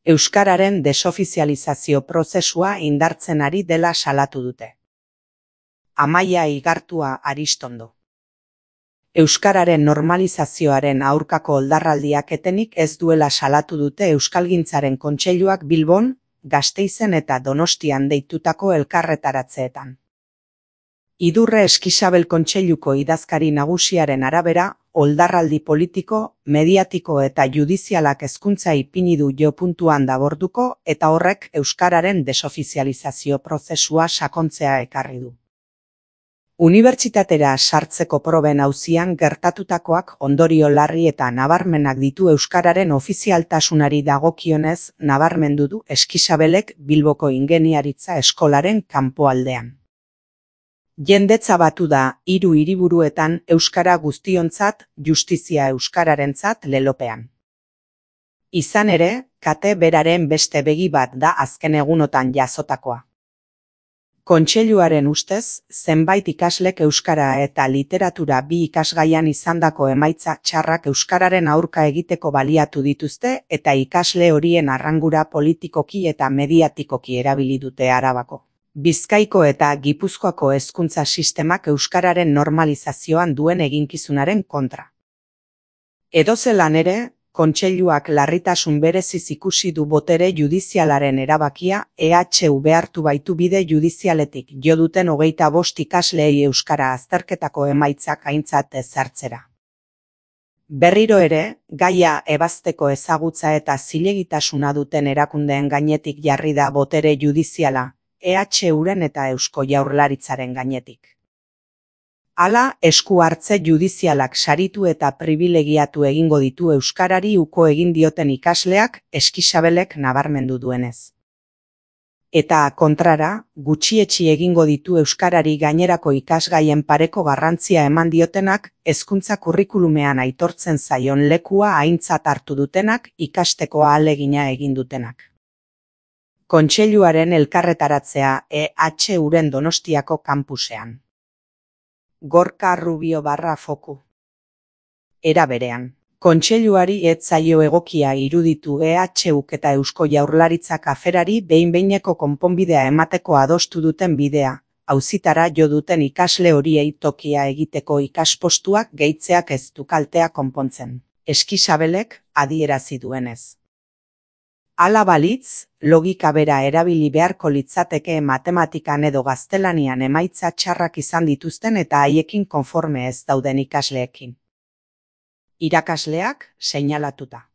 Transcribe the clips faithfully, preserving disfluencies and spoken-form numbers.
Euskararen desofizializazio prozesua indartzen ari dela salatu dute. Amaia Igartua Aristondo. Euskararen normalizazioaren aurkako oldarraldiak etenik ez duela salatu dute Euskalgintzaren Kontseiluak Bilbon, Gasteizen eta Donostian deitutako elkarretaratzeetan. Idurre Eskisabel Kontseiluko idazkari nagusiaren arabera, oldarraldi politiko, mediatiko eta judizialak hezkuntza ipini du jo puntuan daborduko eta horrek euskararen desofizializazio prozesua sakontzea ekarri du. Unibertsitatera sartzeko proben auzian gertatutakoak ondorio larri eta nabarmenak ditu euskararen ofizialtasunari dagokionez nabarmendu du Eskisabelek Bilboko Ingeniaritza Eskolaren kanpoaldean. Jendetza batu da hiru hiriburuetan euskara guztiontzat, justizia euskararentzat lelopean. Izan ere, kate beraren beste begi bat da azken egunotan jasotakoa. Kontseiluaren ustez, zenbait ikaslek euskara eta literatura bi ikasgaian izandako emaitza txarrak euskararen aurka egiteko baliatu dituzte eta ikasle horien arrangura politikoki eta mediatikoki erabili dute Arabako, Bizkaiko eta Gipuzkoako hezkuntza sistemak euskararen normalizazioan duen eginkizunaren kontra. Edozelan ere, Kontseiluak larritasun bereziz ikusi du botere judizialaren erabakia E H U behartu baitu bide judizialetik jo duten hogeita bost ikasleei euskara azterketako emaitzak aintzat ezartzera. Berriro ere, gaia ebazteko ezagutza eta zilegitasuna duten erakundeen gainetik jarri da botere judiziala, E H Uren eta Eusko Jaurlaritzaren gainetik. Hala, esku hartze judizialak saritu eta pribilegiatu egingo ditu euskarari uko egin dioten ikasleak Eskisabelek nabarmendu duenez. Eta kontrara, gutxietsi egingo ditu euskarari gainerako ikasgaien pareko garrantzia eman diotenak, hezkuntza kurrikulumean aitortzen zaion lekua aintzat hartu dutenak, ikasteko ahalegina egin dutenak. Kontseiluaren elkarretaratzea E H Uren Donostiako kanpusean. Gorka Rubio barra foku. Era berean, Kontseiluari ez zaio egokia iruditu E H Uk eta Eusko Jaurlaritzak aferari behin-behineko konponbidea emateko adostu duten bidea, auzitara jo duten ikasle horiei tokia egiteko ikaspostuak gehitzeak ez du kaltea konpontzen, Eskisabelek adierazi duenez. Hala balitz, logika bera erabili beharko litzateke matematikan edo gaztelanian emaitza txarrak izan dituzten eta haiekin konforme ez dauden ikasleekin. Irakasleak seinalatuta.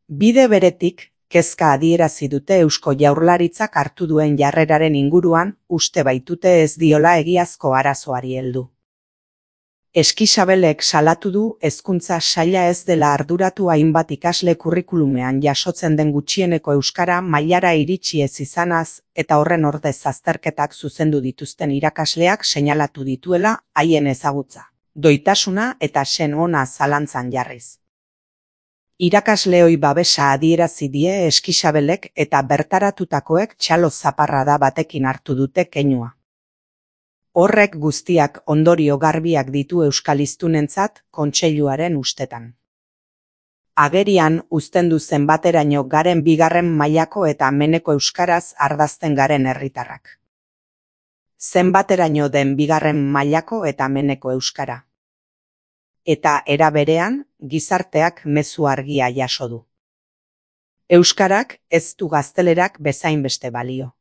Bide beretik, kezka adierazi dute Eusko Jaurlaritzak hartu duen jarreraren inguruan, uste baitute ez diola egiazko arazoari heldu. Eskisabelek salatu du hezkuntza saila ez dela arduratu hainbat ikasle kurrikulumean jasotzen den gutxieneko euskara mailara iritsi ez izanaz eta horren ordez azterketak zuzendu dituzten irakasleak seinalatu dituela haien ezagutza, doitasuna eta sen ona zalantzan jarriz. Irakasleoi babesa adierazi die Eskisabelek eta bertaratutakoek txalo zaparrada batekin hartu dute keinua. Horrek guztiak ondorio garbiak ditu euskaliztunentzat Kontseiluaren ustetan. Agerian uzten du zenbateraino garen bigarren mailako eta meneko euskaraz ardazten garen herritarrak. Zenbateraino den bigarren mailako eta meneko euskara. Eta era berean, gizarteak mezu argia jaso du. Euskarak ez du gaztelerak bezain beste balio.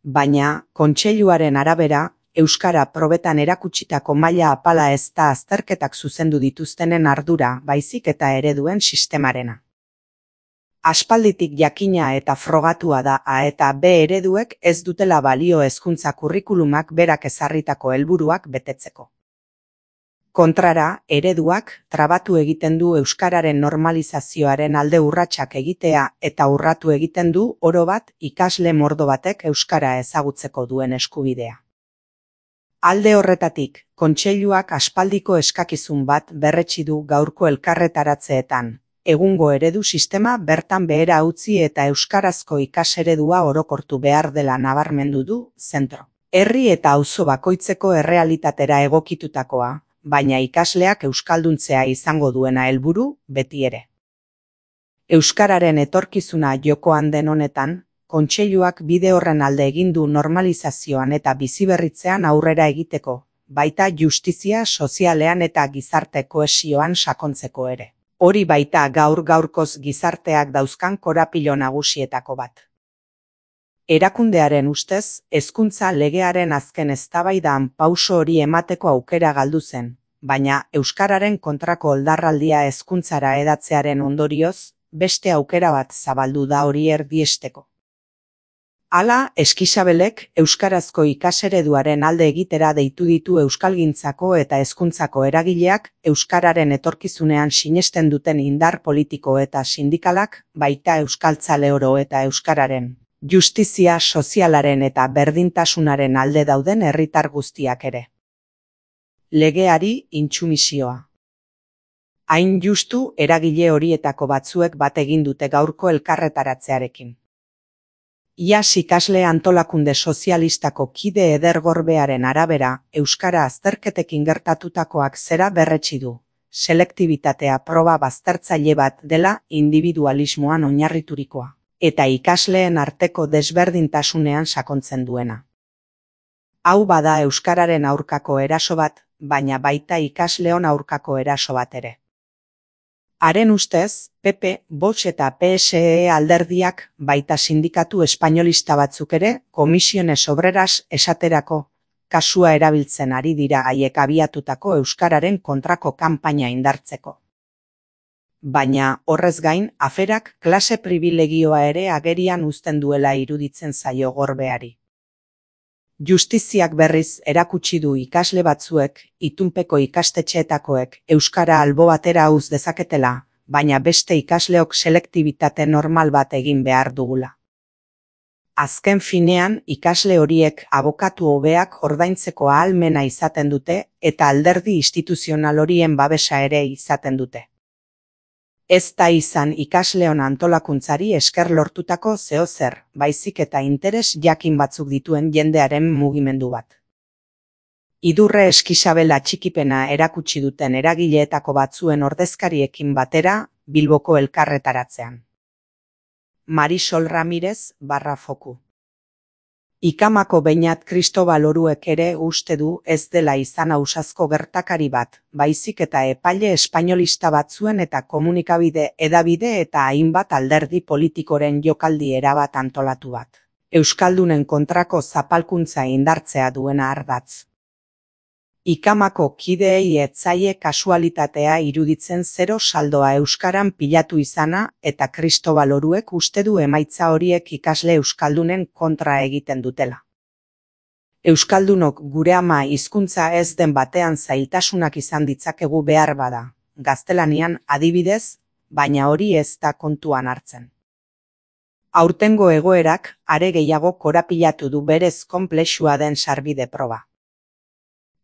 Baina, Kontseiluaren arabera, euskara probetan erakutsitako maila apala ez da azterketak zuzendu dituztenen ardura baizik eta ereduen sistemarena. Aspalditik jakina eta frogatua da A eta B ereduek ez dutela balio hezkuntza kurrikulumak berak ezarritako helburuak betetzeko. Kontrara, ereduak trabatu egiten du euskararen normalizazioaren alde urratsak egitea eta urratu egiten du oro bat ikasle mordo batek euskara ezagutzeko duen eskubidea. Alde horretatik, Kontseiluak aspaldiko eskakizun bat berretsi du gaurko elkarretaratzeetan, egungo eredu sistema bertan behera utzi eta euskarazko ikaseredua orokortu behar dela nabarmendu du zentro. Herri eta auzo bakoitzeko errealitatera egokitutakoa, baina ikasleak euskalduntzea izango duena helburu beti ere. Euskararen etorkizuna jokoan den honetan, kontseiluak bide horren alde egin du normalizazioan eta biziberritzean aurrera egiteko, baita justizia sozialean eta gizarte kohesioan sakontzeko ere. Hori baita gaur gaurkoz gizarteak dauzkan korapilo nagusietako bat. Erakundearen ustez, hezkuntza legearen azken eztabaidan pauso hori emateko aukera galdu zen, baina euskararen kontrako oldarraldia hezkuntzara hedatzearen ondorioz, beste aukera bat zabaldu da hori erdiesteko. Hala, Eskixabelek euskarazko ikasereduaren alde egitera deitu ditu euskalgintzako eta hezkuntzako eragileak euskararen etorkizunean sinesten duten indar politiko eta sindikalak, baita euskaltzale oro eta euskararen justizia sozialaren eta berdintasunaren alde dauden herritar guztiak ere. Legeari intsumisioa. Hain justu eragile horietako batzuek bat egin dute gaurko elkarretaratzearekin. Iaz ikasle antolakunde sozialistako kide edergorbearen arabera, euskara azterketekin gertatutakoak zera berretsi du. Selektibitatea proba baztertzaile bat dela individualismoan oinarriturikoa, eta ikasleen arteko desberdintasunean sakontzen duena. Hau bada euskararen aurkako eraso bat, baina baita ikasleon aurkako eraso bat ere. Haren ustez, P P, Vox eta P S E alderdiak baita sindikatu espainolista batzuk ere, Comisiones Obreras esaterako, kasua erabiltzen ari dira haiek abiatutako euskararen kontrako kanpaina indartzeko. Baina, horrez gain, aferak klase pribilegioa ere agerian uzten duela iruditzen zaio Gorbeari. Justiziak berriz erakutsi du ikasle batzuek, itunpeko ikastetxeetakoek euskara albo batera uz dezaketela, baina beste ikasleok selektibitate normal bat egin behar dugula. Azken finean, ikasle horiek abokatu hobeak ordaintzeko ahalmena izaten dute eta alderdi instituzional horien babesa ere izaten dute. Ez da izan ikasleon antolakuntzari esker lortutako zeozer, baizik eta interes jakin batzuk dituen jendearen mugimendu bat. Idurre Eskixabel atxikipena erakutsi duten eragileetako batzuen ordezkariekin batera, Bilboko elkarretaratzean. Marisol Ramirez, barra foku. Ikamako Beñat Kristobal Oruek ere uste du ez dela izan ausazko gertakari bat, baizik eta epaile espainolista batzuen eta komunikabide edabide eta hainbat alderdi politikoren jokaldi erabat antolatu bat. Euskaldunen kontrako zapalkuntza indartzea duena ardatz. Ikamako kideei ez zaie kasualitatea iruditzen zero saldoa euskaran pilatu izana eta Kristobal Oruek uste du emaitza horiek ikasle euskaldunen kontra egiten dutela. Euskaldunok gure ama hizkuntza ez den batean zailtasunak izan ditzakegu behar bada, gaztelanian adibidez, baina hori ez da kontuan hartzen. Aurtengo egoerak are gehiago korapilatu du berez konplexua den sarbide proba.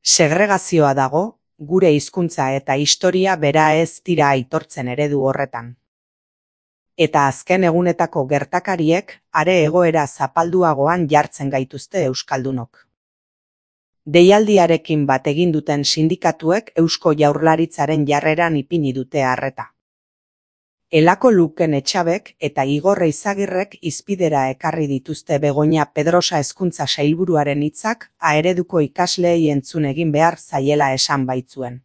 Segregazioa dago, gure hizkuntza eta historia bera ez dira aitortzen eredu horretan. Eta azken egunetako gertakariek are egoera zapalduagoan jartzen gaituzte euskaldunok. Deialdiarekin bat egin duten sindikatuek Eusko Jaurlaritzaren jarreran ipini dute arreta. Elako Luken Etxabek eta Igor Eizagirrek izpidera ekarri dituzte Begoña Pedrosa hezkuntza sailburuaren hitzak aereduko ikasleei entzun egin behar zaiela esan baitzuen.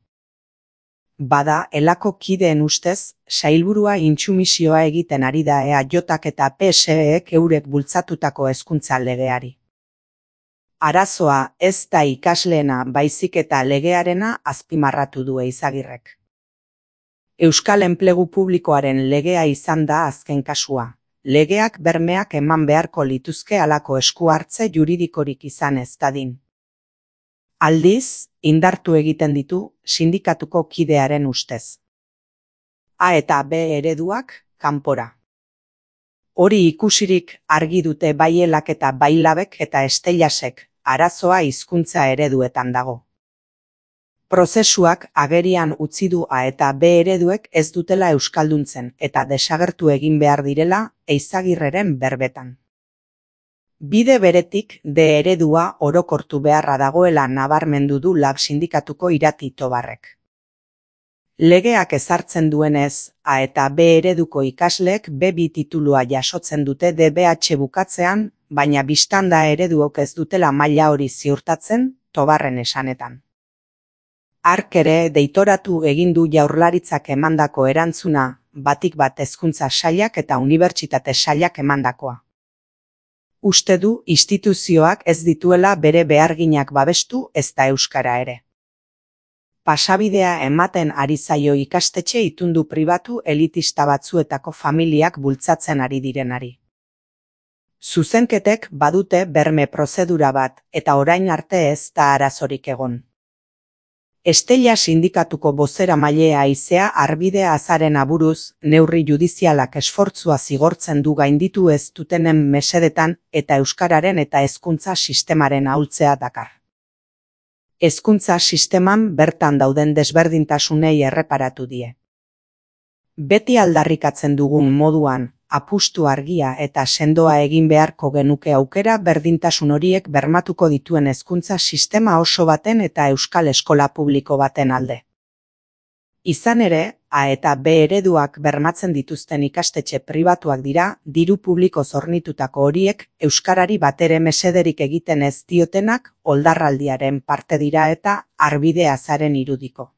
Bada, elako kideen ustez, sailburua intsumisioa egiten ari da E A Jak eta P S Ek eurek bultzatutako hezkuntza legeari. Arazoa ez da ikasleena baizik eta legearena azpimarratu du Eizagirrek. Euskal enplegu publikoaren legea izan da azken kasua. Legeak bermeak eman beharko lituzke halako esku hartze juridikorik izan ez dadin. Aldiz, indartu egiten ditu sindikatuko kidearen ustez. A eta B ereduak, kanpora. Hori ikusirik argi dute bai Elak eta bai Labek eta Estellasek, arazoa hizkuntza ereduetan dago. Prozesuak agerian utzi du A eta B ereduek ez dutela euskalduntzen eta desagertu egin behar direla Eizagirreren berbetan. Bide beretik D eredua orokortu beharra dagoela nabarmendu du Lab sindikatuko Irati Tobarrek. Legeak ezartzen duenez, A eta B ereduko ikasleek be bi titulua jasotzen dute D B H bukatzean, baina biztanda ereduok ez dutela maila hori ziurtatzen, Tobarren esanetan. Hark ere deitoratu egin du Jaurlaritzak emandako erantzuna, batik bat hezkuntza sailak eta unibertsitate sailak emandakoa. Uste du instituzioak ez dituela bere beharginak babestu ezta euskara ere. Pasabidea ematen ari zaio ikastetxe itundu pribatu elitista batzuetako familiak bultzatzen ari direnari. Zuzenketek badute berme prozedura bat eta orain arte ez da arazorik egon. Estella sindikatuko bozeramailea haizea Arbide Azaren aburuz, neurri judizialak esfortzua zigortzen du gainditu ez dutenen mesedetan eta euskararen eta hezkuntza sistemaren ahultzea dakar. Hezkuntza sisteman bertan dauden desberdintasunei erreparatu die. Beti aldarrikatzen dugun moduan, apustu argia eta sendoa egin beharko genuke aukera berdintasun horiek bermatuko dituen hezkuntza sistema oso baten eta euskal eskola publiko baten alde. Izan ere, A eta B ereduak bermatzen dituzten ikastetxe pribatuak dira, diru publiko zornitutako horiek euskarari batere mesederik egiten ez diotenak oldarraldiaren parte dira eta Arbide Azaren irudiko.